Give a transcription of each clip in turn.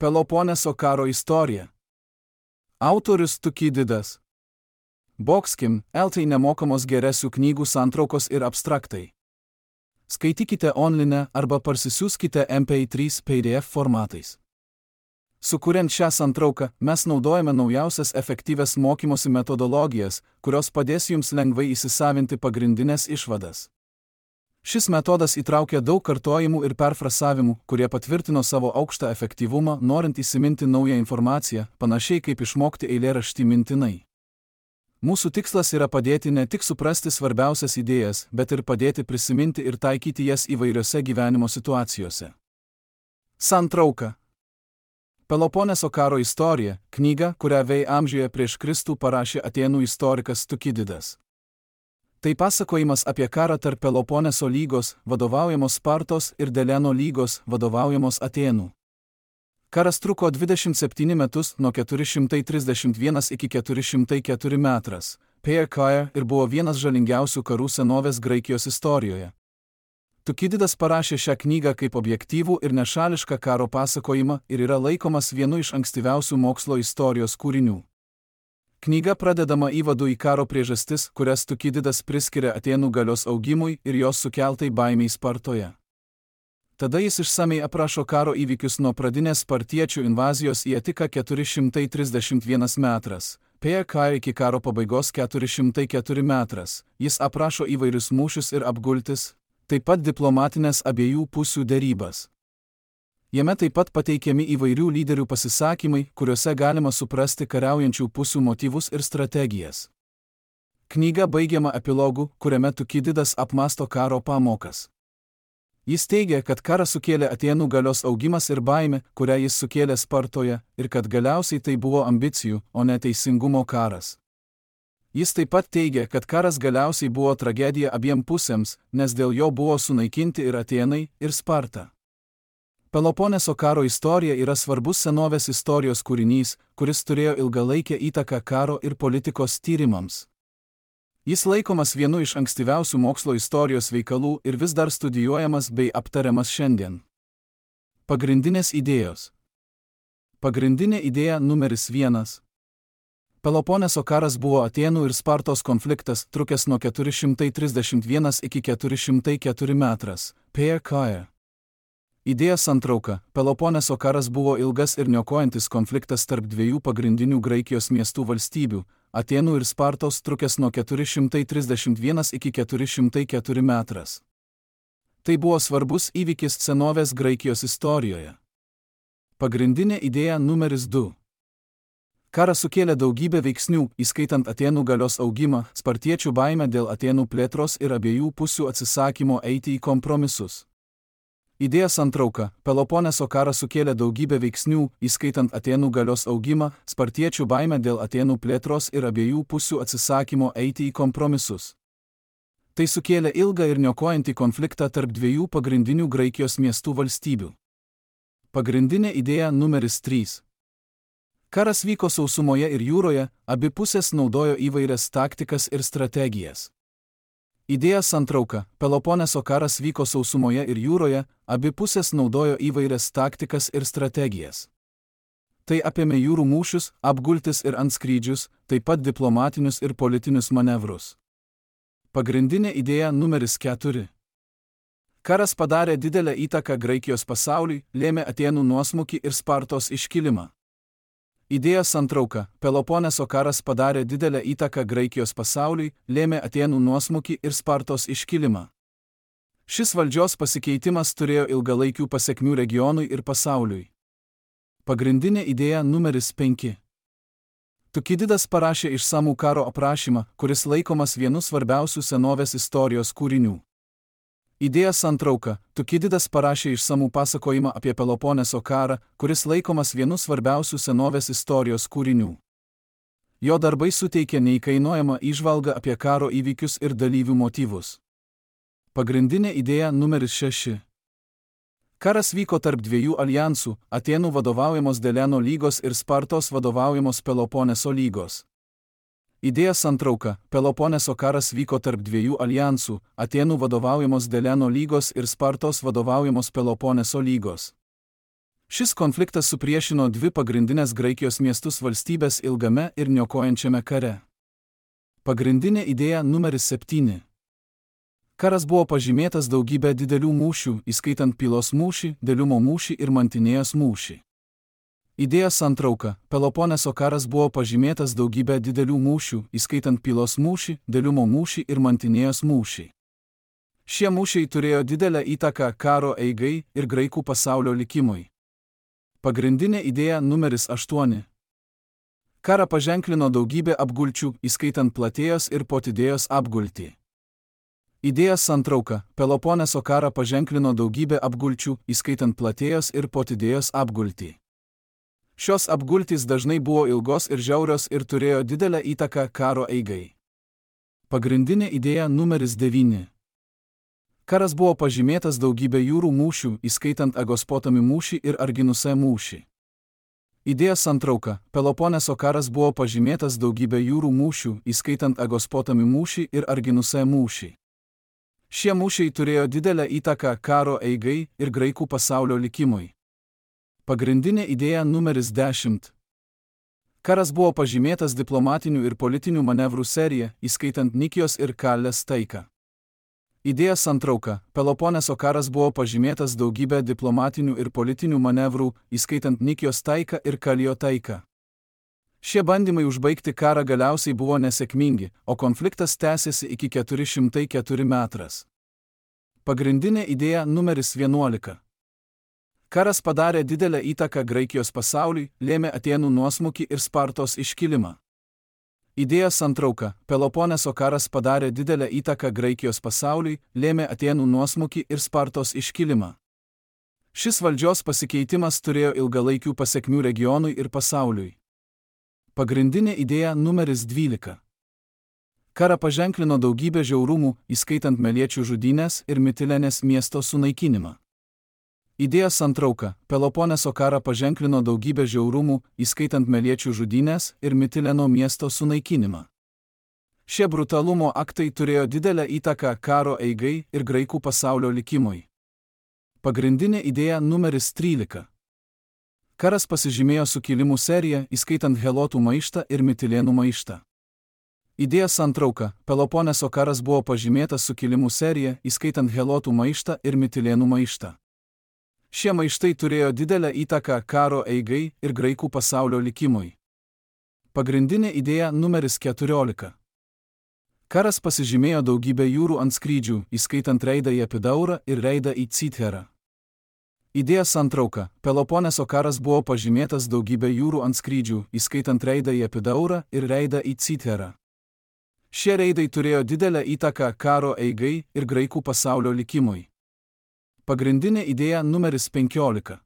Peloponeso karo istorija. Autorius Tukididas. Boxkim, LT nemokamos geresių knygų santraukos ir abstraktai. Skaitykite online arba parsisiųskite MP3 PDF formatais. Sukuriant šią santrauką, mes naudojame naujausias efektyvias mokymosi metodologijas, kurios padės jums lengvai įsisavinti pagrindinės išvadas. Šis metodas įtraukia daug kartojimų ir perfrasavimų, kurie patvirtino savo aukštą efektyvumą, norint įsiminti naują informaciją, panašiai kaip išmokti eilėraštį mintinai. Mūsų tikslas yra padėti ne tik suprasti svarbiausias idėjas, bet ir padėti prisiminti ir taikyti jas įvairiose gyvenimo situacijose. Santrauka. Peloponeso karo istorija – knyga, kurią amžiuje prieš Kristų parašė Atėnų istorikas Tukididas. Tai pasakojimas apie karą tarp Peloponeso lygos, vadovaujamos Spartos, ir Deleno lygos, vadovaujamos Atėnų. Karas truko 27 metus nuo 431 iki 404 metras, ir buvo vienas žalingiausių karų senovės Graikijos istorijoje. Tukididas parašė šią knygą kaip objektyvų ir nešališką karo pasakojimą ir yra laikomas vienu iš ankstyviausių mokslo istorijos kūrinių. Knyga pradedama įvadu į karo priežastis, kurias Tukididas priskiria Atėnų galios augimui ir jos sukeltai baimei Spartoje. Tada jis išsamei aprašo karo įvykius nuo pradinės spartiečių invazijos į Atiką 431 metras, iki karo pabaigos 404 metras. Jis aprašo įvairius mūšius ir apgultis, taip pat diplomatinės abiejų pusių derybas. Jame taip pat pateikiami įvairių lyderių pasisakymai, kuriuose galima suprasti kariaujančių pusių motyvus ir strategijas. Knyga baigiama epilogu, kuriame Tukididas apmąsto karo pamokas. Jis teigia, kad karą sukėlė Atėnų galios augimas ir baimė, kurią jis sukėlė Spartoje, ir kad galiausiai tai buvo ambicijų, o ne teisingumo karas. Jis taip pat teigia, kad karas galiausiai buvo tragedija abiem pusėms, nes dėl jo buvo sunaikinti ir Atėnai, ir Sparta. Peloponeso karo istorija yra svarbus senovės istorijos kūrinys, kuris turėjo ilgalaikę įtaką karo ir politikos tyrimams. Jis laikomas vienu iš ankstyviausių mokslo istorijos veikalų ir vis dar studijuojamas bei aptariamas šiandien. Pagrindinės idėjos. Pagrindinė idėja numeris 1. Peloponeso karas buvo Atėnų ir Spartos konfliktas, trukęs nuo 431 iki 404 metras, Idėja santrauka. Peloponeso karas buvo ilgas ir niokojantis konfliktas tarp dviejų pagrindinių Graikijos miestų valstybių – Atėnų ir Spartos, trukęs nuo 431 iki 404 metras. Tai buvo svarbus įvykis senovės Graikijos istorijoje. Pagrindinė idėja numeris 2. Karas sukėlė daugybę veiksnių, įskaitant Atėnų galios augimą, spartiečių baimę dėl Atėnų plėtros ir abiejų pusių atsisakymo eiti į kompromisus. Idėja santrauka. Peloponeso karas sukėlė daugybę veiksnių, įskaitant Atėnų galios augimą, spartiečių baimę dėl Atėnų plėtros ir abiejų pusių atsisakymo eiti į kompromisus. Tai sukėlė ilgą ir niokojantį konfliktą tarp dviejų pagrindinių Graikijos miestų valstybių. Pagrindinė idėja numeris 3. Karas vyko sausumoje ir jūroje, abi pusės naudojo įvairias taktikas ir strategijas. Idėja santrauka. Peloponeso karas vyko sausumoje ir jūroje, abi pusės naudojo įvairias taktikas ir strategijas. Tai apėmė jūrų mūšius, apgultis ir antskrydžius, taip pat diplomatinius ir politinius manevrus. Pagrindinė idėja numeris 4. Karas padarė didelę įtaką Graikijos pasauliui, lėmė Atėnų nuosmukį ir Spartos iškilimą. Idėja santrauka. Peloponeso karas padarė didelę įtaką Graikijos pasauliui, lėmė Atėnų nuosmukį ir Spartos iškilimą. Šis valdžios pasikeitimas turėjo ilgalaikių pasekmių regionui ir pasauliui. Pagrindinė idėja numeris 5. Tukididas parašė išsamų karo aprašymą, kuris laikomas vienu svarbiausių senovės istorijos kūrinių. Idėja santrauka. Tukididas parašė išsamų pasakojimą apie Peloponeso karą, kuris laikomas vienu svarbiausių senovės istorijos kūrinių. Jo darbai suteikė neįkainojamą įžvalgą apie karo įvykius ir dalyvių motyvus. Pagrindinė idėja numeris 6. Karas vyko tarp dviejų aljansų – Atėnų vadovaujamos Deleno lygos ir Spartos vadovaujamos Peloponeso lygos. Idėja santrauka. Peloponeso karas vyko tarp dviejų aljansų – Atėnų vadovaujamos Deleno lygos ir Spartos vadovaujamos Peloponeso lygos. Šis konfliktas supriešino dvi pagrindinės Graikijos miestus valstybės ilgame ir niokojančiame kare. Pagrindinė idėja numeris 7. Karas buvo pažymėtas daugybę didelių mūšių, įskaitant Pylos mūšį, Deliumo mūšį ir Mantinėjos mūšį. Idėja santrauka. Peloponeso karas buvo pažymėtas daugybę didelių mūšių, įskaitant Pylos mūšį, Deliumo mūšį ir Mantinėjos mūšį. Šie mūšiai turėjo didelę įtaką karo eigai ir graikų pasaulio likimui. Pagrindinė idėja numeris 8. Karą paženklino daugybė apgulčių, įskaitant Platėjos ir Potidėjos apgultį. Idėja santrauka. Peloponeso karą paženklino daugybė apgulčių, įskaitant Platėjos ir Potidėjos apgultį. Šios apgultys dažnai buvo ilgos ir žiaurios ir turėjo didelę įtaką karo eigai. Pagrindinė idėja numeris 9. Karas buvo pažymėtas daugybė jūrų mūšių, įskaitant Agospotami mūšį ir Arginuse mūšį. Idėja santrauka. Peloponeso karas buvo pažymėtas daugybė jūrų mūšių, įskaitant Agospotami mūšį ir Arginuse mūšį. Šie mūšiai turėjo didelę įtaką karo eigai ir graikų pasaulio likimui. Pagrindinė idėja numeris 10. Karas buvo pažymėtas diplomatinių ir politinių manevrų serija, įskaitant Nikijos ir Kalės taiką. Idėja santrauka. Peloponeso karas buvo pažymėtas daugybę diplomatinių ir politinių manevrų, įskaitant Nikijos taiką ir Kalijo taiką. Šie bandymai užbaigti karą galiausiai buvo nesėkmingi, o konfliktas tęsėsi iki 404 metras. Pagrindinė idėja numeris 11. Karas padarė didelę įtaką Graikijos pasauliui, lėmė Atėnų nuosmukį ir Spartos iškilimą. Idėja santrauka. Peloponeso karas padarė didelę įtaką Graikijos pasauliui, lėmė Atėnų nuosmukį ir Spartos iškilimą. Šis valdžios pasikeitimas turėjo ilgalaikių pasekmių regionui ir pasauliui. Pagrindinė idėja numeris 12. Karą paženklino daugybė žiaurumų, įskaitant Meliečių žudynes ir Mitilenės miesto sunaikinimą. Idėja santrauka. Peloponeso karą paženklino daugybę žiaurumų, įskaitant Meliečių žudynes ir Mitileno miesto sunaikinimą. Šie brutalumo aktai turėjo didelę įtaką karo eigai ir graikų pasaulio likimui. Pagrindinė idėja numeris 13. Karas pasižymėjo sukilimų serija, įskaitant Helotų maištą ir Mitilėnų maištą. Idėja santrauka. Peloponeso karas buvo pažymėtas sukilimų serija, įskaitant Helotų maištą ir Mitilėnų maištą. Šie maištai turėjo didelę įtaką karo eigai ir graikų pasaulio likimui. Pagrindinė idėja numeris 14. Karas pasižymėjo daugybę jūrų antskrydžių, įskaitant reidą į Epidaurą ir reidą į Citherą. Idėja santrauka. Peloponeso karas buvo pažymėtas daugybę jūrų antskrydžių, įskaitant reidą į Epidaurą ir reidą į Citherą. Šie reidai turėjo didelę įtaką karo eigai ir graikų pasaulio likimui. Pagrindinė idėja numeris 15.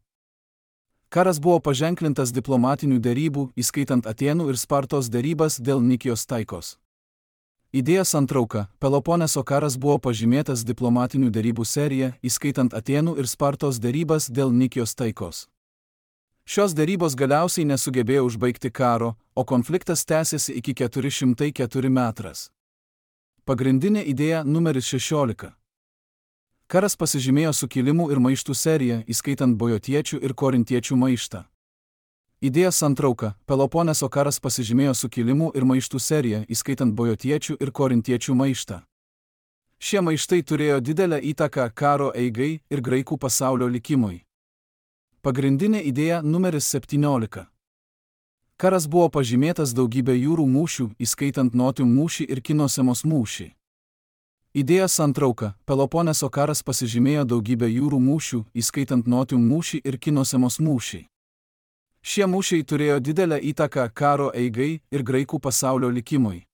Karas buvo paženklintas diplomatinių derybų, įskaitant Atėnų ir Spartos derybas dėl Nikijos taikos. Idėja santrauka. Peloponeso karas buvo pažymėtas diplomatinių derybų serija, įskaitant Atėnų ir Spartos derybas dėl Nikijos taikos. Šios derybos galiausiai nesugebėjo užbaigti karo, o konfliktas tęsėsi iki 404 metras. Pagrindinė idėja numeris 16. Karas pasižymėjo sukilimų ir maištų serija, įskaitant bojotiečių ir korintiečių maištą. Idėja santrauka. Peloponeso karas pasižymėjo sukilimų ir maištų serija, įskaitant bojotiečių ir korintiečių maištą. Šie maištai turėjo didelę įtaką karo eigai ir graikų pasaulio likimui. Pagrindinė idėja numeris 17. Karas buvo pažymėtas daugybę jūrų mūšių, įskaitant Notium mūšį ir Kinosemos mūšį. Idėja santrauka. Peloponeso karas pasižymėjo daugybę jūrų mūšių, įskaitant Notium mūšį ir Kinosemos mūšį. Šie mūšiai turėjo didelę įtaką karo eigai ir graikų pasaulio likimui.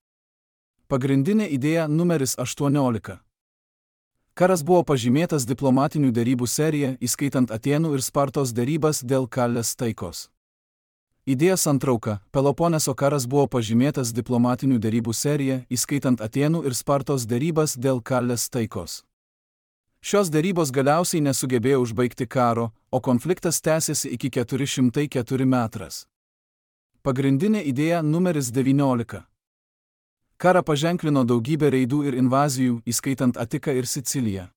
Pagrindinė idėja numeris 18. Karas buvo pažymėtas diplomatinių derybų serija, įskaitant Atėnų ir Spartos derybas dėl Kalės taikos. Idėja santrauka. Peloponeso karas buvo pažymėtas diplomatinių derybų serija, įskaitant Atėnų ir Spartos derybas dėl Kalės taikos. Šios derybos galiausiai nesugebėjo užbaigti karo, o konfliktas tęsėsi iki 404 metras. Pagrindinė idėja numeris 19. Karą paženklino daugybė reidų ir invazijų, įskaitant Atiką ir Siciliją.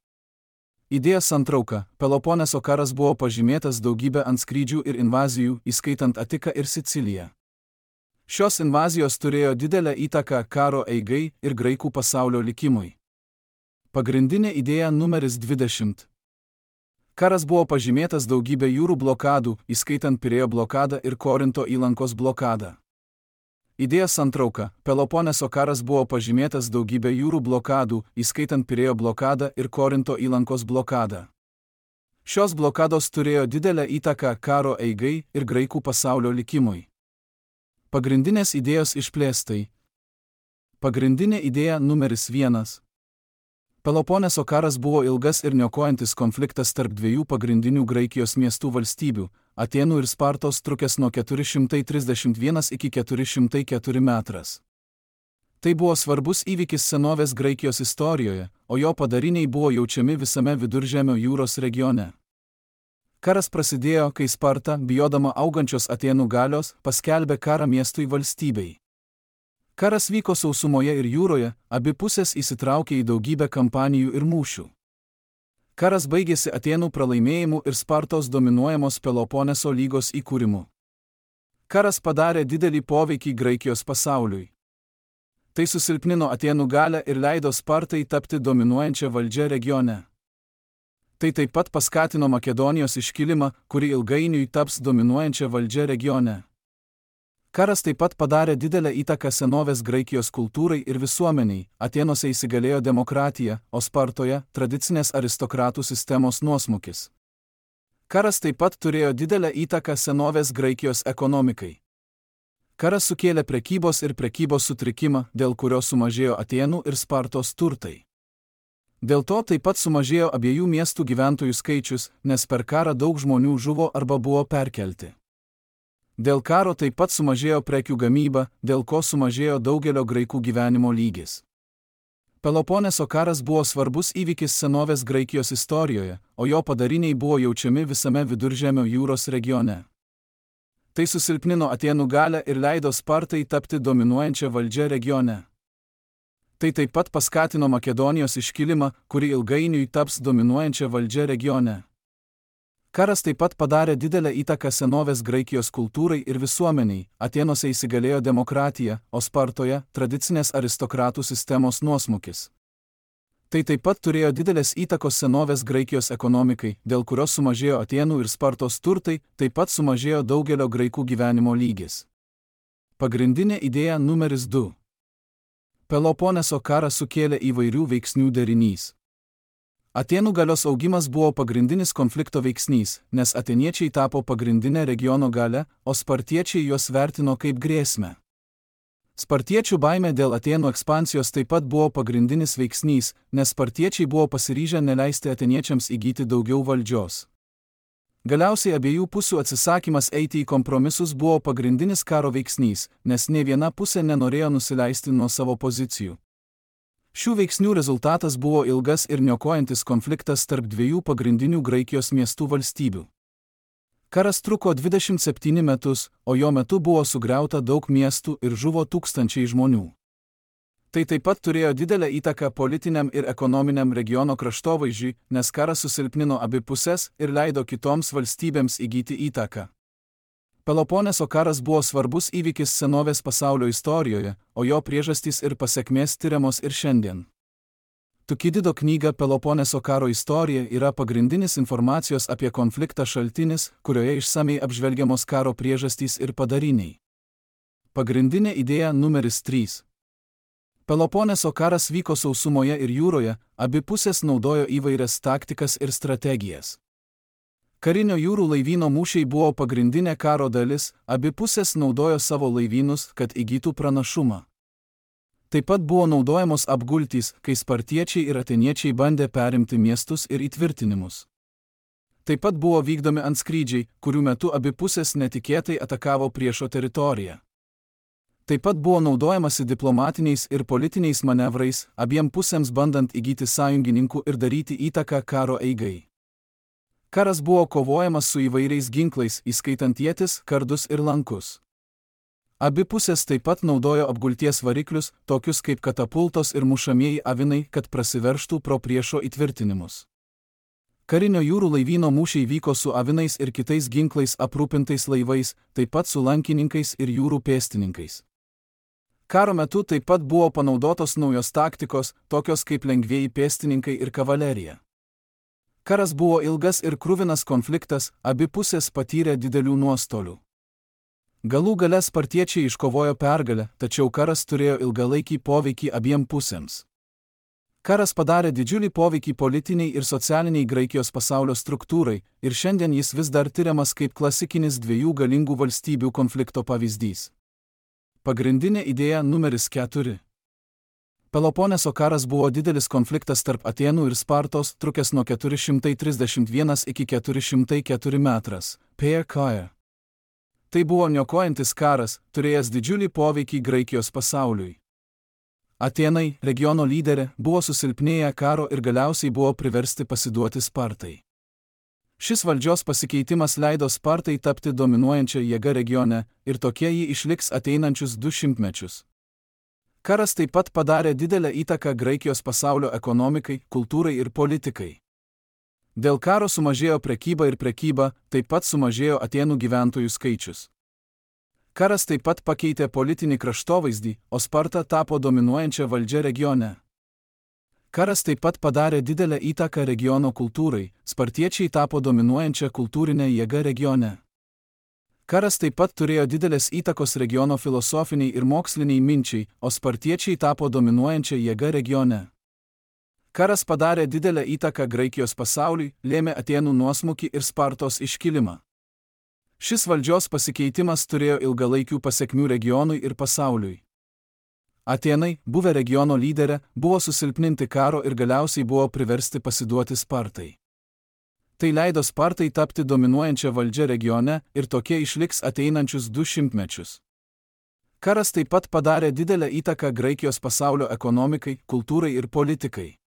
Idėja santrauka. Peloponeso karas buvo pažymėtas daugybę antskrydžių ir invazijų, įskaitant Atiką ir Siciliją. Šios invazijos turėjo didelę įtaką karo eigai ir graikų pasaulio likimui. Pagrindinė idėja numeris 20. Karas buvo pažymėtas daugybę jūrų blokadų, įskaitant Pirėjo blokadą ir Korinto įlankos blokadą. Idėja santrauka. Peloponeso karas buvo pažymėtas daugybę jūrų blokadų, įskaitant Pirėjo blokadą ir Korinto įlankos blokadą. Šios blokados turėjo didelę įtaką karo eigai ir graikų pasaulio likimui. Pagrindinės idėjos išplėstai. Pagrindinė idėja numeris 1. Peloponeso karas buvo ilgas ir niokojantis konfliktas tarp dviejų pagrindinių Graikijos miestų valstybių – Atėnų ir Spartos, trukęs nuo 431 iki 404 metras. Tai buvo svarbus įvykis senovės Graikijos istorijoje, o jo padariniai buvo jaučiami visame Viduržemio jūros regione. Karas prasidėjo, kai Sparta, bijodama augančios Atėnų galios, paskelbė karą miestui valstybei. Karas vyko sausumoje ir jūroje, abi pusės įsitraukė į daugybę kampanijų ir mūšių. Karas baigėsi Atėnų pralaimėjimu ir Spartos dominuojamos Peloponeso lygos įkūrimu. Karas padarė didelį poveikį Graikijos pasauliui. Tai susilpnino Atėnų galią ir leido Spartai tapti dominuojančią valdžią regione. Tai taip pat paskatino Makedonijos iškilimą, kuri ilgainiui taps dominuojančią valdžią regione. Karas taip pat padarė didelę įtaką senovės Graikijos kultūrai ir visuomeniai, Atėnuose įsigalėjo demokratija, o Spartoje – tradicinės aristokratų sistemos nuosmukis. Karas taip pat turėjo didelę įtaką senovės Graikijos ekonomikai. Karas sukėlė prekybos ir prekybos sutrikimą, dėl kurio sumažėjo Atėnų ir Spartos turtai. Dėl to taip pat sumažėjo abiejų miestų gyventojų skaičius, nes per karą daug žmonių žuvo arba buvo perkelti. Dėl karo taip pat sumažėjo prekių gamyba, dėl ko sumažėjo daugelio graikų gyvenimo lygis. Peloponeso karas buvo svarbus įvykis senovės Graikijos istorijoje, o jo padariniai buvo jaučiami visame Viduržemio jūros regione. Tai susilpnino Atėnų galią ir leido Spartai tapti dominuojančią valdžią regione. Tai taip pat paskatino Makedonijos iškilimą, kuri ilgainiui taps dominuojančią valdžią regione. Karas taip pat padarė didelę įtaką senovės Graikijos kultūrai ir visuomeniai, Atėnuose įsigalėjo demokratija, o Spartoje – tradicinės aristokratų sistemos nuosmukis. Tai taip pat turėjo didelės įtakos senovės Graikijos ekonomikai, dėl kurios sumažėjo Atėnų ir Spartos turtai, taip pat sumažėjo daugelio graikų gyvenimo lygis. Pagrindinė idėja numeris 2. Peloponeso karą sukėlė įvairių veiksnių derinys. Atėnų galios augimas buvo pagrindinis konflikto veiksnys, nes atėniečiai tapo pagrindinė regiono galia, o spartiečiai juos vertino kaip grėsmę. Spartiečių baimė dėl Atėnų ekspansijos taip pat buvo pagrindinis veiksnys, nes spartiečiai buvo pasiryžę neleisti atėniečiams įgyti daugiau valdžios. Galiausiai abiejų pusių atsisakymas eiti į kompromisus buvo pagrindinis karo veiksnys, nes nė viena pusė nenorėjo nusileisti nuo savo pozicijų. Šių veiksnių rezultatas buvo ilgas ir niokojantis konfliktas tarp dviejų pagrindinių Graikijos miestų valstybių. Karas truko 27 metus, o jo metu buvo sugriauta daug miestų ir žuvo tūkstančiai žmonių. Tai taip pat turėjo didelę įtaką politiniam ir ekonominiam regiono kraštovaizdžiui, nes karas susilpnino abi pusės ir leido kitoms valstybėms įgyti įtaką. Peloponeso karas buvo svarbus įvykis senovės pasaulio istorijoje, o jo priežastys ir pasekmės tiriamos ir šiandien. Tukidido knyga Peloponeso karo istorija yra pagrindinis informacijos apie konfliktą šaltinis, kurioje išsamei apžvelgiamos karo priežastys ir padariniai. Pagrindinė idėja numeris 3. Peloponeso karas vyko sausumoje ir jūroje, abi pusės naudojo įvairias taktikas ir strategijas. Karinio jūrų laivyno mūšiai buvo pagrindinė karo dalis, abi pusės naudojo savo laivynus, kad įgytų pranašumą. Taip pat buvo naudojamos apgultys, kai spartiečiai ir atėniečiai bandė perimti miestus ir įtvirtinimus. Taip pat buvo vykdomi antskrydžiai, kurių metu abi pusės netikėtai atakavo priešo teritoriją. Taip pat buvo naudojamasi diplomatiniais ir politiniais manevrais, abiem pusėms bandant įgyti sąjungininkų ir daryti įtaką karo eigai. Karas buvo kovojamas su įvairiais ginklais, įskaitant ietis, kardus ir lankus. Abi pusės taip pat naudojo apgulties variklius, tokius kaip katapultos ir mušamieji avinai, kad prasiveržtų pro priešo įtvirtinimus. Karinio jūrų laivyno mūšiai vyko su avinais ir kitais ginklais aprūpintais laivais, taip pat su lankininkais ir jūrų pėstininkais. Karo metu taip pat buvo panaudotos naujos taktikos, tokios kaip lengvieji pėstininkai ir kavalerija. Karas buvo ilgas ir kruvinas konfliktas, abi pusės patyrė didelių nuostolių. Galų gale spartiečiai iškovojo pergalę, tačiau karas turėjo ilgalaikį poveikį abiem pusėms. Karas padarė didžiulį poveikį politiniai ir socialiniai Graikijos pasaulio struktūrai, ir šiandien jis vis dar tiriamas kaip klasikinis dviejų galingų valstybių konflikto pavyzdys. Pagrindinė idėja numeris 4. Peloponeso karas buvo didelis konfliktas tarp Atėnų ir Spartos, trukęs nuo 431 iki 404 metras. PK. Tai buvo niokojantis karas, turėjęs didžiulį poveikį Graikijos pasauliui. Atėnai, regiono lyderė, buvo susilpnėję karo ir galiausiai buvo priversti pasiduoti Spartai. Šis valdžios pasikeitimas leido Spartai tapti dominuojančia jėga regione ir tokie ji išliks ateinančius 200 mečius. Karas taip pat padarė didelę įtaką Graikijos pasaulio ekonomikai, kultūrai ir politikai. Dėl karo sumažėjo prekyba ir prekyba, taip pat sumažėjo Atėnų gyventojų skaičius. Karas taip pat pakeitė politinį kraštovaizdį, o Sparta tapo dominuojančia valdžia regione. Karas taip pat padarė didelę įtaką regiono kultūrai, spartiečiai tapo dominuojančia kultūrinė jėga regione. Karas taip pat turėjo didelės įtakos regiono filosofiniai ir moksliniai minčiai, o spartiečiai tapo dominuojančia jėga regione. Karas padarė didelę įtaką Graikijos pasauliui, lėmė Atėnų nuosmukį ir Spartos iškilimą. Šis valdžios pasikeitimas turėjo ilgalaikių pasekmių regionui ir pasauliui. Atėnai, buvę regiono lyderė, buvo susilpninti karo ir galiausiai buvo priversti pasiduoti Spartai. Tai leido Spartai tapti dominuojančia valdžia regione ir tokie išliks ateinančius 200 mečius. Karas taip pat padarė didelę įtaką Graikijos pasaulio ekonomikai, kultūrai ir politikai.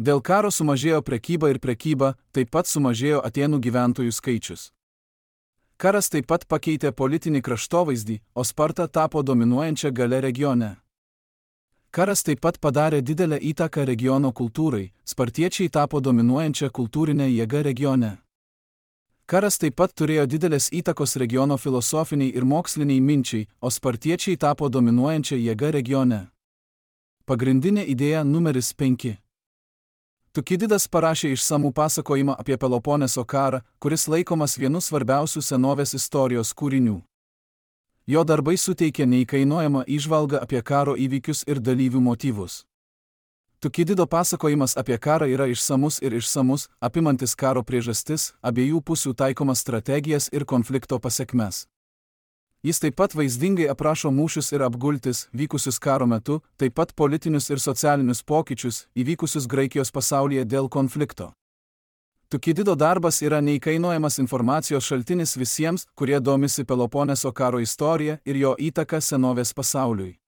Dėl karo sumažėjo prekyba ir prekyba, taip pat sumažėjo Atėnų gyventojų skaičius. Karas taip pat pakeitė politinį kraštovaizdį, o Sparta tapo dominuojančia galia regione. Karas taip pat padarė didelę įtaką regiono kultūrai, spartiečiai tapo dominuojančia kultūrinė jėga regione. Karas taip pat turėjo didelės įtakos regiono filosofiniai ir moksliniai minčiai, o spartiečiai tapo dominuojančia jėga regione. Pagrindinė idėja numeris 5. Tukididas parašė išsamų pasakojimą apie Peloponeso karą, kuris laikomas vienu svarbiausių senovės istorijos kūrinių. Jo darbai suteikė neįkainojamą įžvalgą apie karo įvykius ir dalyvių motyvus. Tukidido pasakojimas apie karą yra išsamus, apimantis karo priežastis, abiejų pusių taikomas strategijas ir konflikto pasekmes. Jis taip pat vaizdingai aprašo mūšius ir apgultis, vykusius karo metu, taip pat politinius ir socialinius pokyčius, įvykusius Graikijos pasaulyje dėl konflikto. Tukidido darbas yra neįkainojamas informacijos šaltinis visiems, kurie domisi Peloponeso karo istorija ir jo įtaka senovės pasauliui.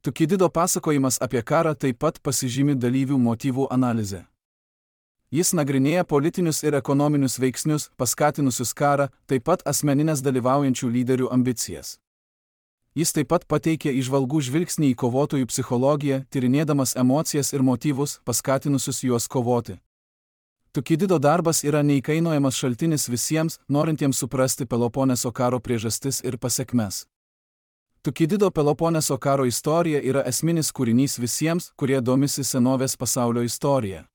Tukidido pasakojimas apie karą taip pat pasižymi dalyvių motyvų analizę. Jis nagrinėja politinius ir ekonominius veiksnius, paskatinusius karą, taip pat asmeninės dalyvaujančių lyderių ambicijas. Jis taip pat pateikė įžvalgų žvilgsnį į kovotojų psichologiją, tyrinėdamas emocijas ir motyvus, paskatinusius juos kovoti. Tukidido darbas yra neįkainojamas šaltinis visiems, norintiems suprasti Peloponeso karo priežastis ir pasekmes. Tukidido Peloponeso karo istorija yra esminis kūrinys visiems, kurie domisi senovės pasaulio istorija.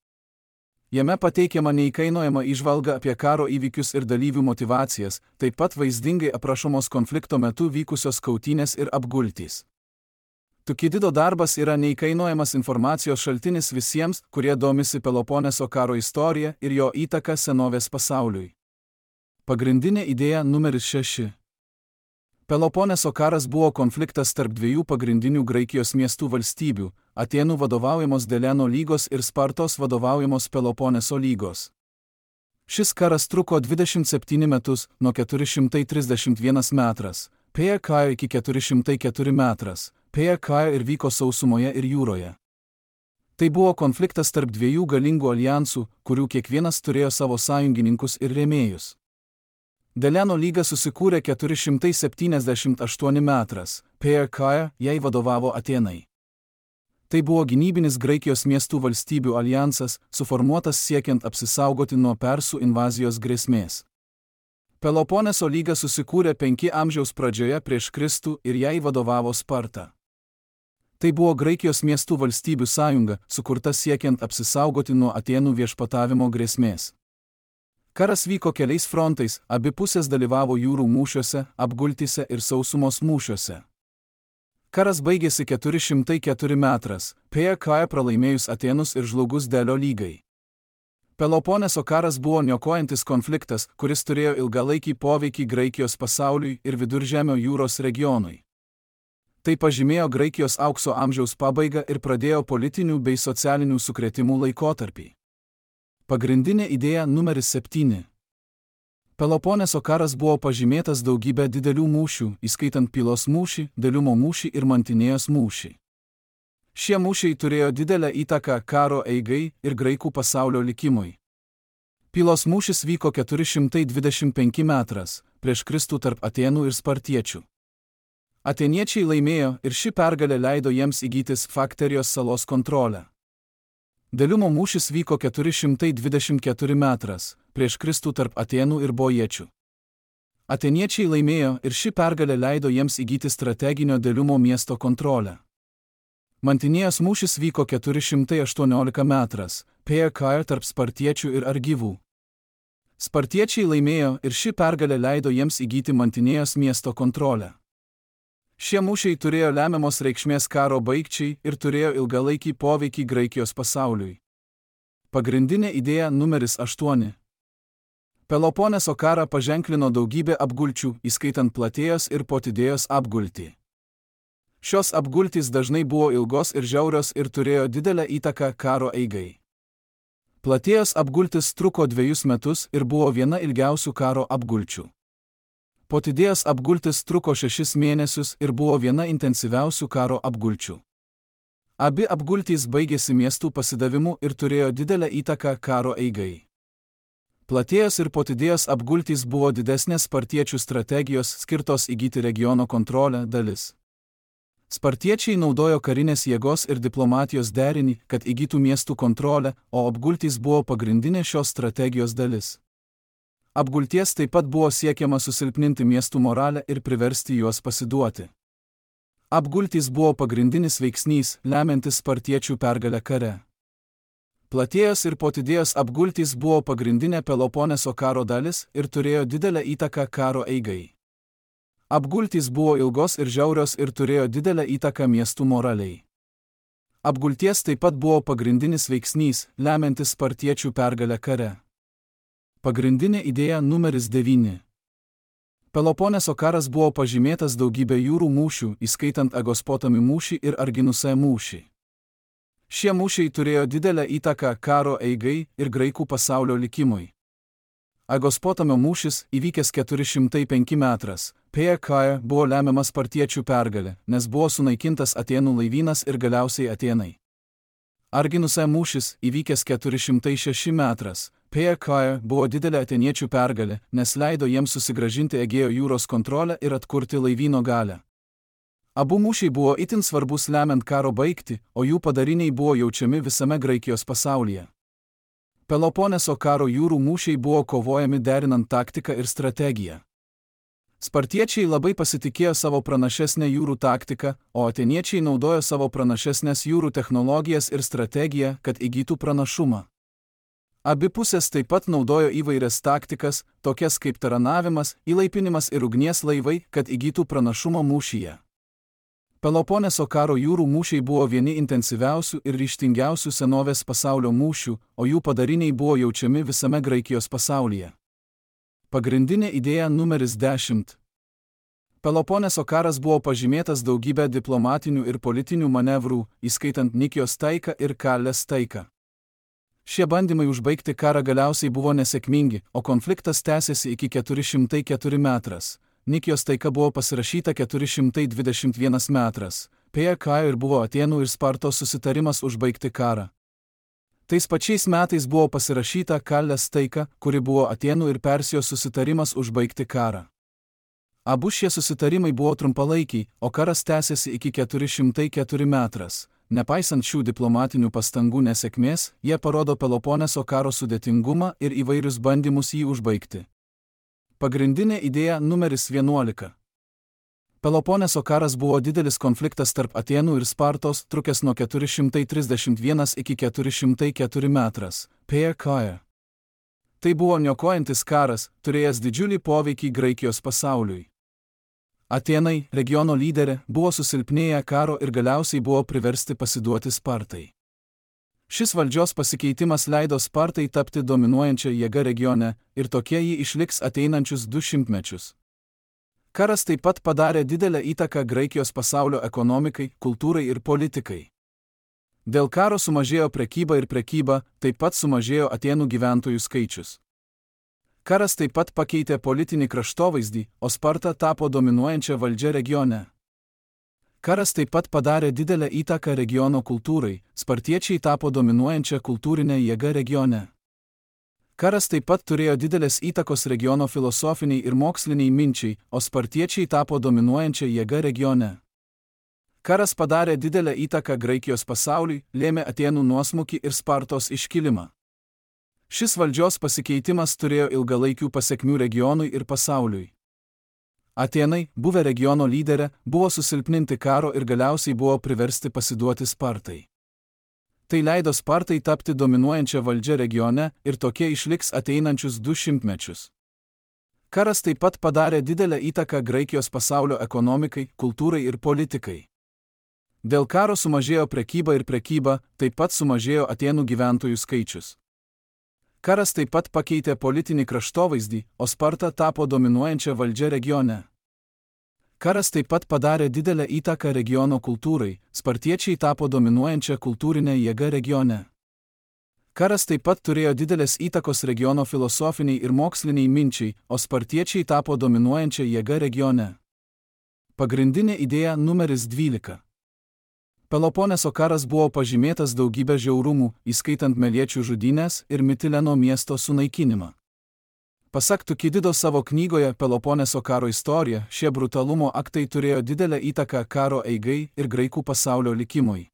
Jame pateikiama neįkainojama įžvalga apie karo įvykius ir dalyvių motivacijas, taip pat vaizdingai aprašomos konflikto metu vykusios kautynės ir apgultys. Tukidido darbas yra neįkainojamas informacijos šaltinis visiems, kurie domisi Peloponeso karo istorija ir jo įtaka senovės pasauliui. Pagrindinė idėja numeris 6. Peloponeso karas buvo konfliktas tarp dviejų pagrindinių Graikijos miestų valstybių – Atėnų vadovaujamos Deleno lygos ir Spartos vadovaujamos Peloponeso lygos. Šis karas truko 27 metus, nuo 431 metras, PK iki 404 metras, PK ir vyko sausumoje ir jūroje. Tai buvo konfliktas tarp dviejų galingų aljansų, kurių kiekvienas turėjo savo sąjungininkus ir rėmėjus. Deleno lyga susikūrė 478 metras, PK jai vadovavo Atėnai. Tai buvo gynybinis Graikijos miestų valstybių aljansas, suformuotas siekiant apsisaugoti nuo persų invazijos grėsmės. Peloponeso lyga susikūrė 5 amžiaus pradžioje prieš Kristų ir jai vadovavo Sparta. Tai buvo Graikijos miestų valstybių sąjunga, sukurta siekiant apsisaugoti nuo Atėnų viešpatavimo grėsmės. Karas vyko keliais frontais, abi pusės dalyvavo jūrų mūšiuose, apgultyse ir sausumos mūšiuose. Karas baigėsi 404 metras, PKE pralaimėjus Atėnus ir žlugus Delio lygai. Peloponeso karas buvo niokojantis konfliktas, kuris turėjo ilgalaikį poveikį Graikijos pasauliui ir Viduržemio jūros regionui. Tai pažymėjo Graikijos aukso amžiaus pabaigą ir pradėjo politinių bei socialinių sukrėtimų laikotarpį. Pagrindinė idėja numeris 7. Peloponeso karas buvo pažymėtas daugybę didelių mūšių, įskaitant Pylos mūšį, Deliumo mūšį ir Mantinėjos mūšį. Šie mūšiai turėjo didelę įtaką karo eigai ir graikų pasaulio likimui. Pylos mūšis vyko 425 metras prieš Kristų tarp Atėnų ir spartiečių. Atėniečiai laimėjo ir ši pergalė leido jiems įgytis Fakterijos salos kontrolę. Deliumo mūšis vyko 424 metras prieš Kristų tarp Atėnų ir bojiečių. Atėniečiai laimėjo ir ši pergalė leido jiems įgyti strateginio Deliumo miesto kontrolę. Mantinėjos mūšis vyko 418 metras PKE tarp spartiečių ir argyvų. Spartiečiai laimėjo ir ši pergalė leido jiems įgyti Mantinėjos miesto kontrolę. Šie mūšiai turėjo lemiamos reikšmės karo baigčiai ir turėjo ilgalaikį poveikį Graikijos pasauliui. Pagrindinė idėja numeris 8. Peloponeso karą paženklino daugybė apgulčių, įskaitant Platėjos ir Potidėjos apgultį. Šios apgultys dažnai buvo ilgos ir žiaurios ir turėjo didelę įtaką karo eigai. Platėjos apgultis truko 2 metus ir buvo viena ilgiausių karo apgulčių. Potidėjos apgultis truko 6 mėnesius ir buvo viena intensyviausių karo apgulčių. Abi apgultys baigėsi miestų pasidavimu ir turėjo didelę įtaką karo eigai. Platėjos ir Potidėjos apgultys buvo didesnės spartiečių strategijos skirtos įgyti regiono kontrolę dalis. Spartiečiai naudojo karinės jėgos ir diplomatijos derinį, kad įgytų miestų kontrolę, o apgultys buvo pagrindinė šios strategijos dalis. Apgulties taip pat buvo siekiama susilpninti miestų moralę ir priversti juos pasiduoti. Apgultys buvo pagrindinis veiksnys, lemiantis spartiečių pergalę kare. Platėjos ir Potidėjos apgultys buvo pagrindinė Peloponeso karo dalis ir turėjo didelę įtaką karo eigai. Apgultys buvo ilgos ir žiaurios ir turėjo didelę įtaką miestų moraliai. Apgulties taip pat buvo pagrindinis veiksnys, lemiantis spartiečių pergalę kare. Pagrindinė idėja numeris 9. Peloponeso karas buvo pažymėtas daugybė jūrų mūšių, įskaitant Agospotamį mūšį ir Arginusą mūšį. Šie mūšiai turėjo didelę įtaką karo eigai ir graikų pasaulio likimui. Agospotamio mūšis, įvykęs 405 metras PKE, buvo lemiamas spartiečių pergalė, nes buvo sunaikintas Atėnų laivynas ir galiausiai Atėnai. Arginuso mūšis, įvykęs 406 metras PKE, buvo didelė atėniečių pergalė, nes leido jiems susigrąžinti Egėjo jūros kontrolę ir atkurti laivyno galią. Abu mūšiai buvo itin svarbus lemiant karo baigtį, o jų padariniai buvo jaučiami visame Graikijos pasaulyje. Peloponeso karo jūrų mūšiai buvo kovojami derinant taktiką ir strategiją. Spartiečiai labai pasitikėjo savo pranašesnę jūrų taktiką, o atėniečiai naudojo savo pranašesnės jūrų technologijas ir strategiją, kad įgytų pranašumą. Abi pusės taip pat naudojo įvairias taktikas, tokias kaip taranavimas, įlaipinimas ir ugnies laivai, kad įgytų pranašumą mūšyje. Peloponeso karo jūrų mūšiai buvo vieni intensyviausių ir ryžtingiausių senovės pasaulio mūšių, o jų padariniai buvo jaučiami visame Graikijos pasaulyje. Pagrindinė idėja numeris 10. Peloponeso karas buvo pažymėtas daugybę diplomatinių ir politinių manevrų, įskaitant Nikijos taiką ir Kalės taiką. Šie bandymai užbaigti karą galiausiai buvo nesėkmingi, o konfliktas tęsėsi iki 404 metras. Nikijos taika buvo pasirašyta 421 metras PKE ir buvo Atėnų ir Spartos susitarimas užbaigti karą. Tais pačiais metais buvo pasirašyta Kalės taika, kuri buvo Atėnų ir Persijos susitarimas užbaigti karą. Abu šie susitarimai buvo trumpalaikiai, o karas tęsėsi iki 404 metras. nepaisant šių diplomatinių pastangų nesėkmės, jie parodo Peloponeso karo sudėtingumą ir įvairius bandymus jį užbaigti. Pagrindinė idėja numeris 11. Peloponeso karas buvo didelis konfliktas tarp Atėnų ir Spartos, trukęs nuo 431 iki 404 metras. PK. Tai buvo niokojantis karas, turėjęs didžiulį poveikį Graikijos pasauliui. Atėnai, regiono lyderė, buvo susilpnėję karo ir galiausiai buvo priversti pasiduoti Spartai. Šis valdžios pasikeitimas leido Spartai tapti dominuojančia jėga regione ir tokie ji išliks ateinančius 200 mečius. Karas taip pat padarė didelę įtaką Graikijos pasaulio ekonomikai, kultūrai ir politikai. Dėl karo sumažėjo prekyba ir prekyba, taip pat sumažėjo Atėnų gyventojų skaičius. Karas taip pat pakeitė politinį kraštovaizdį, o Sparta tapo dominuojančia valdžia regione. Karas taip pat padarė didelę įtaką regiono kultūrai, spartiečiai tapo dominuojančia kultūrinė jėga regione. Karas taip pat turėjo didelės įtakos regiono filosofiniai ir moksliniai minčiai, o spartiečiai tapo dominuojančia jėga regione. Karas padarė didelę įtaką Graikijos pasauliui, lėmė Atėnų nuosmukį ir Spartos iškilimą. Šis valdžios pasikeitimas turėjo ilgalaikių pasekmių regionui ir pasauliui. Atėnai, buvę regiono lyderė, buvo susilpninti karo ir galiausiai buvo priversti pasiduoti Spartai. Tai leido Spartai tapti dominuojančia valdžia regione ir tokie išliks ateinančius 200 mečius. Karas taip pat padarė didelę įtaką Graikijos pasaulio ekonomikai, kultūrai ir politikai. Dėl karo sumažėjo prekyba ir prekyba, taip pat sumažėjo Atėnų gyventojų skaičius. Karas taip pat pakeitė politinį kraštovaizdį, o Sparta tapo dominuojančia valdžia regione. Karas taip pat padarė didelę įtaką regiono kultūrai, spartiečiai tapo dominuojančia kultūrinė jėga regione. Karas taip pat turėjo didelės įtakos regiono filosofiniai ir moksliniai minčiai, o spartiečiai tapo dominuojančia jėga regione. Pagrindinė idėja numeris 12. Peloponeso karas buvo pažymėtas daugybę žiaurumų, įskaitant Meliečių žudynes ir Mitileno miesto sunaikinimą. Pasak Tukidido savo knygoje Peloponeso karo istorija, šie brutalumo aktai turėjo didelę įtaką karo eigai ir graikų pasaulio likimui.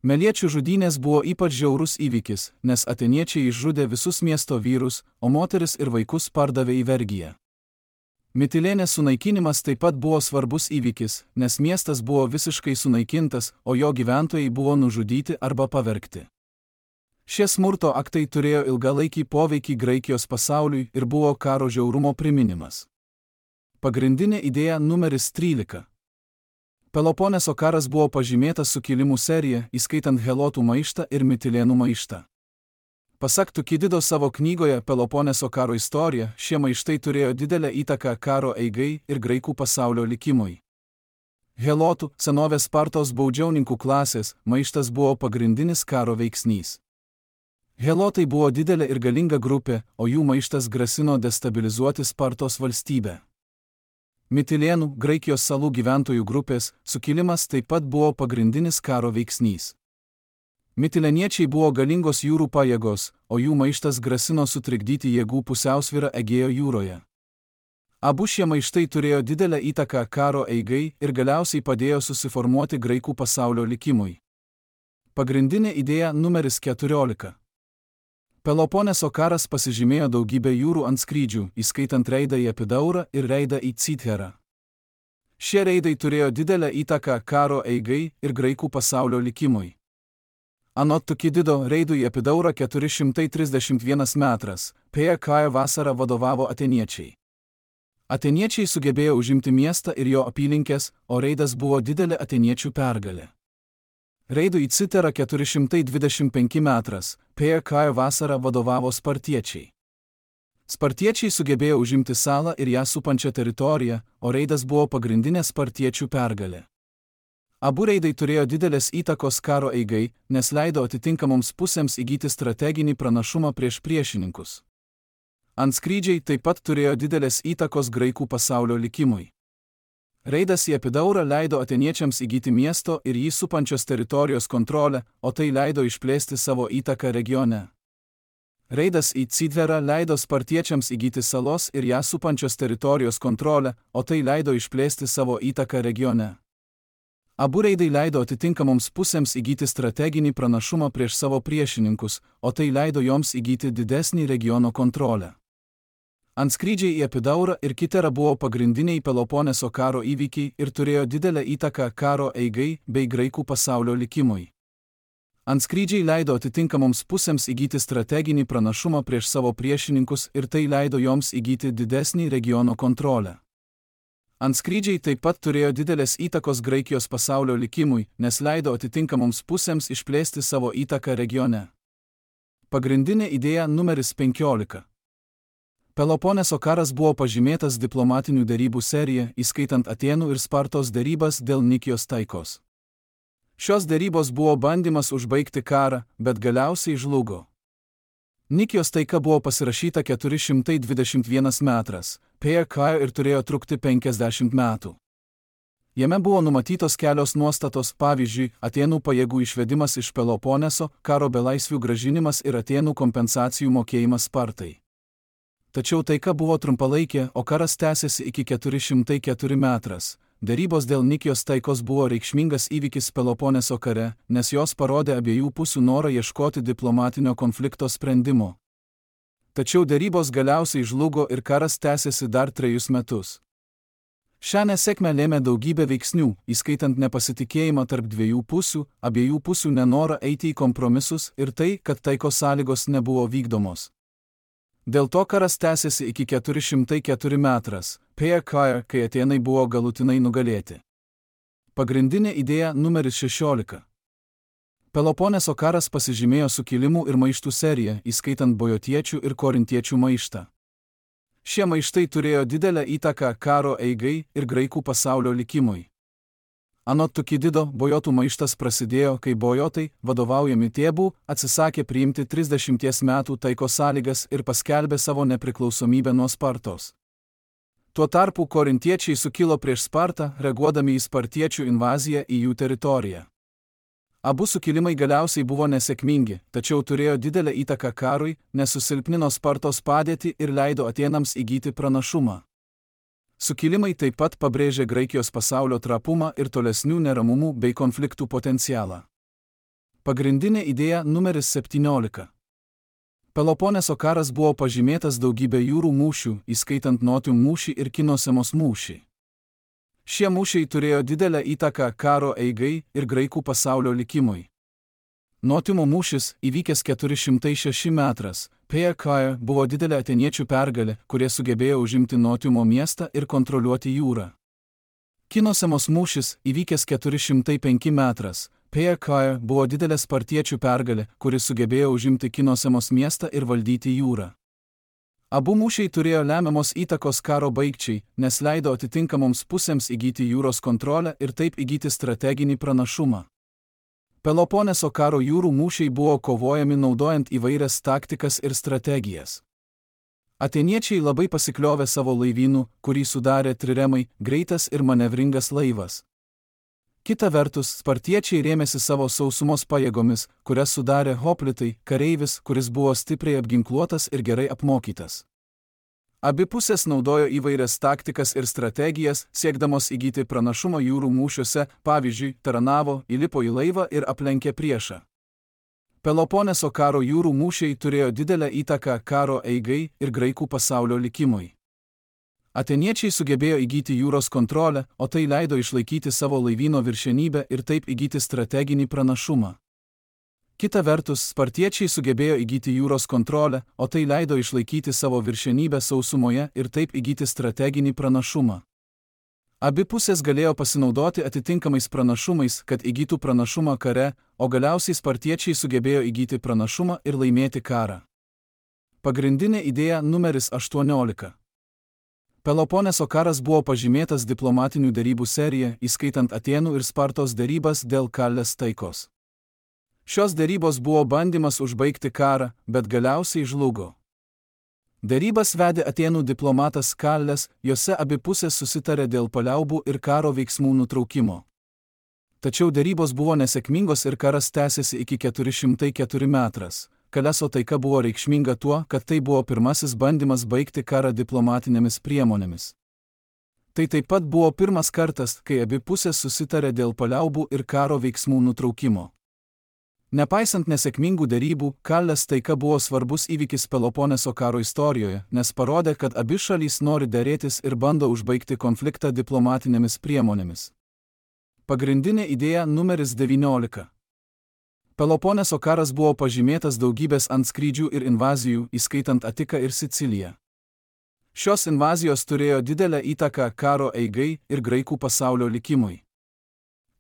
Meliečių žudynės buvo ypač žiaurus įvykis, nes atėniečiai išžudė visus miesto vyrus, o moteris ir vaikus pardavė į vergiją. Mitilėnės sunaikinimas taip pat buvo svarbus įvykis, nes miestas buvo visiškai sunaikintas, o jo gyventojai buvo nužudyti arba pavergti. Šie smurto aktai turėjo ilgalaikį poveikį Graikijos pasauliui ir buvo karo žiaurumo priminimas. Pagrindinė idėja numeris 13. Peloponeso karas buvo pažymėtas sukilimų serija, įskaitant Helotų maištą ir Mitilėnų maištą. Pasak Tukidido savo knygoje Peloponeso karo istorija, šie maištai turėjo didelę įtaką karo eigai ir graikų pasaulio likimui. Helotų, senovės Spartos baudžiauninkų klasės, maištas buvo pagrindinis karo veiksnys. Helotai buvo didelė ir galinga grupė, o jų maištas grasino destabilizuoti Spartos valstybę. Mitilėnų, Graikijos salų gyventojų grupės, sukilimas taip pat buvo pagrindinis karo veiksnys. Mitilėniečiai buvo galingos jūrų pajėgos, o jų maištas grasino sutrikdyti jėgų pusiausvyrą Egėjo jūroje. Abu šie maištai turėjo didelę įtaką karo eigai ir galiausiai padėjo susiformuoti graikų pasaulio likimui. Pagrindinė idėja numeris 14. Peloponeso karas pasižymėjo daugybę jūrų antskrydžių, įskaitant reidą į Epidaurą ir reidą į Cytherą. Šie reidai turėjo didelę įtaką karo eigai ir graikų pasaulio likimui. Anot Tukidido, reidui į Epidaurą 431 metras, PK vasarą vadovavo atėniečiai. Atėniečiai sugebėjo užimti miestą ir jo apylinkės, o reidas buvo didelė atėniečių pergalė. Reidui į Cytherą 425 metras, PK vasarą vadovavo spartiečiai. Spartiečiai sugebėjo užimti salą ir ją supančią teritoriją, o reidas buvo pagrindinė spartiečių pergalė. Abu reidai turėjo didelės įtakos karo eigai, nes leido atitinkamoms pusėms įgyti strateginį pranašumą prieš priešininkus. Antskrydžiai taip pat turėjo didelės įtakos graikų pasaulio likimui. Reidas į Epidaurą leido atėniečiams įgyti miesto ir jį supančios teritorijos kontrolę, o tai leido išplėsti savo įtaką regione. Reidas į Cytherą leido spartiečiams įgyti salos ir ją supančios teritorijos kontrolę, o tai leido išplėsti savo įtaką regione. Abu reidai leido atitinkamoms pusėms įgyti strateginį pranašumą prieš savo priešininkus, o tai leido joms įgyti didesnį regiono kontrolę. Antskrydžiai į Epidaurą ir Kiterą buvo pagrindiniai Peloponeso karo įvykiai ir turėjo didelę įtaką karo eigai bei graikų pasaulio likimui. Antskrydžiai leido atitinkamoms pusėms įgyti strateginį pranašumą prieš savo priešininkus ir tai leido joms įgyti didesnį regiono kontrolę. Antskrydžiai taip pat turėjo didelės įtakos Graikijos pasaulio likimui, nes leido atitinkamoms pusėms išplėsti savo įtaką regione. Pagrindinė idėja numeris 15. Peloponeso karas buvo pažymėtas diplomatinių derybų serija, įskaitant Atėnų ir Spartos derybas dėl Nikijos taikos. Šios derybos buvo bandymas užbaigti karą, bet galiausiai žlugo. Nikijos taika buvo pasirašyta 421 metras, ir turėjo trukti 50 metų. Jame buvo numatytos kelios nuostatos, pavyzdžiui, Atėnų pajėgų išvedimas iš Peloponeso, karo belaisvių grąžinimas ir Atėnų kompensacijų mokėjimas Spartai. Tačiau taika buvo trumpalaikė, o karas tęsėsi iki 404 metras. Derybos dėl Nikijos taikos buvo reikšmingas įvykis Peloponeso kare, nes jos parodė abiejų pusių norą ieškoti diplomatinio konflikto sprendimo. Tačiau derybos galiausiai žlugo ir karas tęsėsi dar 3 metus. Šią nesėkmę lėmė daugybė veiksnių, įskaitant nepasitikėjimą tarp dviejų pusių, abiejų pusių nenorą eiti į kompromisus ir tai, kad taikos sąlygos nebuvo vykdomos. Dėl to karas tęsėsi iki 404 metras, kai Atėnai buvo galutinai nugalėti. Pagrindinė idėja numeris 16. Peloponeso karas pasižymėjo sukilimų ir maištų seriją, įskaitant bojotiečių ir korintiečių maištą. Šie maištai turėjo didelę įtaką karo eigai ir graikų pasaulio likimui. Anot Tukidido, bojotų maištas prasidėjo, kai bojotai, vadovaujami Tėbų, atsisakė priimti 30 metų taikos sąlygas ir paskelbė savo nepriklausomybę nuo Spartos. Tuo tarpu korintiečiai sukilo prieš Spartą, reaguodami į spartiečių invaziją į jų teritoriją. Abu sukilimai galiausiai buvo nesėkmingi, tačiau turėjo didelę įtaką karui, nes susilpnino Spartos padėtį ir leido Atėnams įgyti pranašumą. Sukilimai taip pat pabrėžė Graikijos pasaulio trapumą ir tolesnių neramumų bei konfliktų potencialą. Pagrindinė idėja numeris 17. Peloponeso karas buvo pažymėtas daugybė jūrų mūšių, įskaitant Notium mūšį ir Kinosemos mūšį. Šie mūšiai turėjo didelę įtaką karo eigai ir graikų pasaulio likimui. Notiumo mūšis, įvykęs 406 metras, buvo didelė atėniečių pergalė, kurie sugebėjo užimti Notiumo miestą ir kontroliuoti jūrą. Kinosemos mūšis, įvykęs 405 metras, buvo didelė spartiečių pergalė, kuris sugebėjo užimti Kinosemos miestą ir valdyti jūrą. Abu mūšiai turėjo lemiamos įtakos karo baigčiai, nes leido atitinkamoms pusėms įgyti jūros kontrolę ir taip įgyti strateginį pranašumą. Peloponeso karo jūrų mūšiai buvo kovojami naudojant įvairias taktikas ir strategijas. Atėniečiai labai pasikliovė savo laivynu, kurį sudarė triremai, greitas ir manevringas laivas. Kita vertus, spartiečiai rėmėsi savo sausumos pajėgomis, kurias sudarė hoplitai, kareivis, kuris buvo stipriai apginkluotas ir gerai apmokytas. Abi pusės naudojo įvairias taktikas ir strategijas, siekdamos įgyti pranašumą jūrų mūšiuose, pavyzdžiui, taranavo, įlipo į laivą ir aplenkė priešą. Peloponeso karo jūrų mūšiai turėjo didelę įtaką karo eigai ir graikų pasaulio likimui. Atėniečiai sugebėjo įgyti jūros kontrolę, o tai leido išlaikyti savo laivyno viršenybę ir taip įgyti strateginį pranašumą. Kita vertus, spartiečiai sugebėjo įgyti jūros kontrolę, o tai leido išlaikyti savo viršenybę sausumoje ir taip įgyti strateginį pranašumą. Abi pusės galėjo pasinaudoti atitinkamais pranašumais, kad įgytų pranašumą kare, o galiausiai spartiečiai sugebėjo įgyti pranašumą ir laimėti karą. Pagrindinė idėja numeris 18. Peloponeso karas buvo pažymėtas diplomatinių derybų serija, įskaitant Atėnų ir Spartos derybas dėl Kalės taikos. Šios derybos buvo bandymas užbaigti karą, bet galiausiai žlugo. Derybas vedė Atėnų diplomatas Kalės, jose abi pusės susitarė dėl paliaubų ir karo veiksmų nutraukimo. Tačiau derybos buvo nesėkmingos ir karas tęsėsi iki 404 metras. Kaleso taika buvo reikšminga tuo, kad tai buvo pirmasis bandymas baigti karą diplomatinėmis priemonėmis. Tai taip pat buvo pirmas kartas, kai abi pusės susitarė dėl paliaubų ir karo veiksmų nutraukimo. Nepaisant nesėkmingų derybų, Kalės taika buvo svarbus įvykis Peloponeso karo istorijoje, nes parodė, kad abi šalys nori derėtis ir bando užbaigti konfliktą diplomatinėmis priemonėmis. Pagrindinė idėja numeris 19. Peloponeso karas buvo pažymėtas daugybės antskrydžių ir invazijų, įskaitant Atiką ir Siciliją. Šios invazijos turėjo didelę įtaką karo eigai ir graikų pasaulio likimui.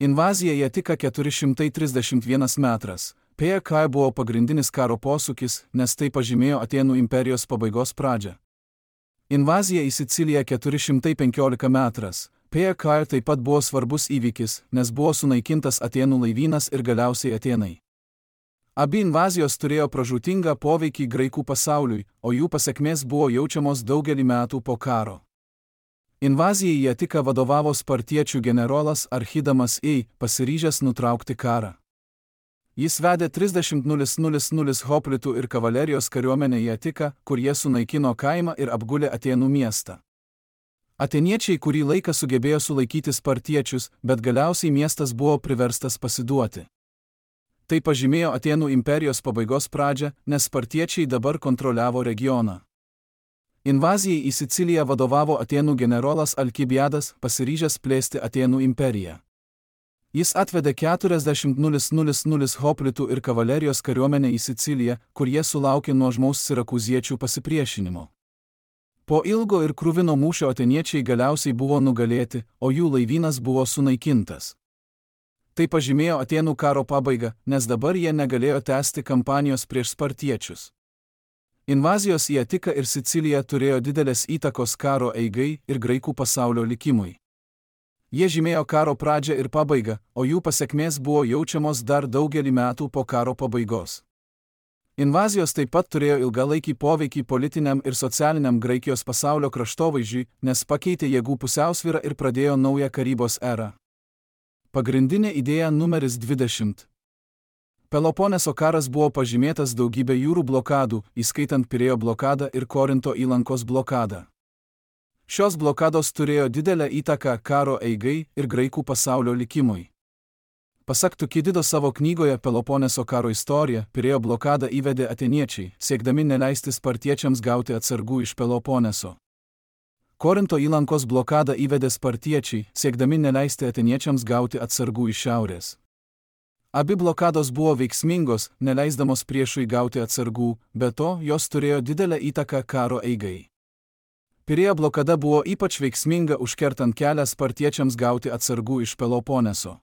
Invazija į Atiką 431 metras. PK buvo pagrindinis karo posūkis, nes tai pažymėjo Atėnų imperijos pabaigos pradžią. Invazija į Siciliją 415 metras. PK taip pat buvo svarbus įvykis, nes buvo sunaikintas Atėnų laivynas ir galiausiai Atėnai. Abi invazijos turėjo pražūtingą poveikį graikų pasauliui, o jų pasekmės buvo jaučiamos daugelį metų po karo. Invazijai į Atiką vadovavo spartiečių generolas Archidamas I, pasiryžęs nutraukti karą. Jis vedė 30,000 hoplitų ir kavalerijos kariuomenę į Atiką, kur jie sunaikino kaimą ir apgulė Atėnų miestą. Atėniečiai kurį laiką sugebėjo sulaikyti spartiečius, bet galiausiai miestas buvo priverstas pasiduoti. Tai pažymėjo Atėnų imperijos pabaigos pradžią, nes spartiečiai dabar kontroliavo regioną. Invazijai į Siciliją vadovavo Atėnų generolas Alkibiadas, pasiryžęs plėsti Atėnų imperiją. Jis atvedė 40,000 hoplitų ir kavalerijos kariuomenę į Siciliją, kur jie sulaukė nuožmaus sirakūziečių pasipriešinimo. Po ilgo ir kruvino mūšio atėniečiai galiausiai buvo nugalėti, o jų laivynas buvo sunaikintas. Tai pažymėjo Atėnų karo pabaigą, nes dabar jie negalėjo tęsti kampanijos prieš spartiečius. Invazijos į Atiką ir Siciliją turėjo didelės įtakos karo eigai ir graikų pasaulio likimui. Jie žymėjo karo pradžią ir pabaigą, o jų pasekmės buvo jaučiamos dar daugelį metų po karo pabaigos. Invazijos taip pat turėjo ilgalaikį poveikį politiniam ir socialiniam Graikijos pasaulio kraštovaizdžiui, nes pakeitė jėgų pusiausvyrą ir pradėjo naują karybos erą. Pagrindinė idėja numeris 20. Peloponeso karas buvo pažymėtas daugybė jūrų blokadų, įskaitant Pirėjo blokadą ir Korinto įlankos blokadą. Šios blokados turėjo didelę įtaką karo eigai ir graikų pasaulio likimui. Pasak Tukidido savo knygoje Peloponeso karo istorija, Pirėjo blokadą įvedė atėniečiai, siekdami neleisti spartiečiams gauti atsargų iš Peloponeso. Korinto įlankos blokadą įvedė spartiečiai, siekdami neleisti atėniečiams gauti atsargų iš šiaurės. Abi blokados buvo veiksmingos, neleisdamos priešui gauti atsargų, be to jos turėjo didelę įtaką karo eigai. Pirėjo blokada buvo ypač veiksminga užkertant kelią spartiečiams gauti atsargų iš Peloponeso.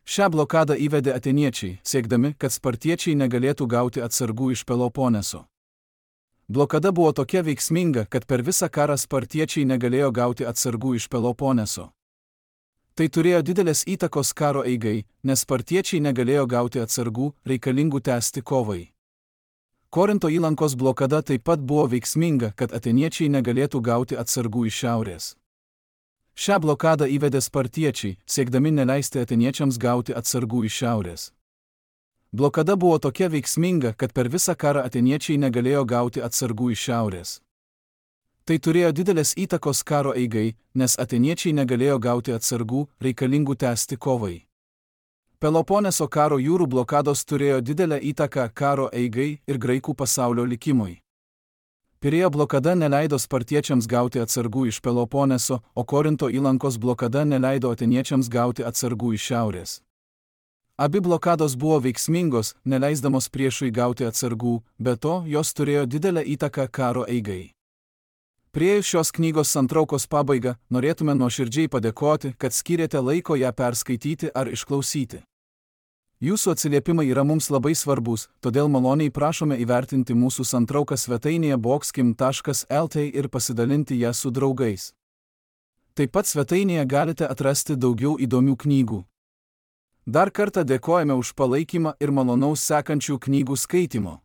Šią blokadą įvedė atėniečiai, siekdami, kad spartiečiai negalėtų gauti atsargų iš Peloponeso. Blokada buvo tokia veiksminga, kad per visą karą spartiečiai negalėjo gauti atsargų iš Peloponeso. Tai turėjo didelės įtakos karo eigai, nes spartiečiai negalėjo gauti atsargų, reikalingų tęsti kovai. Korinto įlankos blokada taip pat buvo veiksminga, kad atėniečiai negalėtų gauti atsargų iš šiaurės. Šią blokadą įvedė spartiečiai, siekdami neleisti atėniečiams gauti atsargų iš šiaurės. Blokada buvo tokia veiksminga, kad per visą karą atėniečiai negalėjo gauti atsargų iš šiaurės. Tai turėjo didelės įtakos karo eigai, nes atėniečiai negalėjo gauti atsargų, reikalingų tęsti kovai. Peloponeso karo jūrų blokados turėjo didelę įtaką karo eigai ir graikų pasaulio likimui. Pirėjo blokada neleido spartiečiams gauti atsargų iš Peloponeso, o Korinto įlankos blokada neleido atėniečiams gauti atsargų iš šiaurės. Abi blokados buvo veiksmingos, neleisdamos priešui gauti atsargų, be to jos turėjo didelę įtaką karo eigai. Priėjus šios knygos santraukos pabaigą, norėtume nuoširdžiai padėkoti, kad skyrėte laiko ją perskaityti ar išklausyti. Jūsų atsiliepimai yra mums labai svarbus, todėl maloniai prašome įvertinti mūsų santrauką svetainėje boxkim.lt ir pasidalinti ją su draugais. Taip pat svetainėje galite atrasti daugiau įdomių knygų. Dar kartą dėkojame už palaikymą ir malonaus sekančių knygų skaitimo.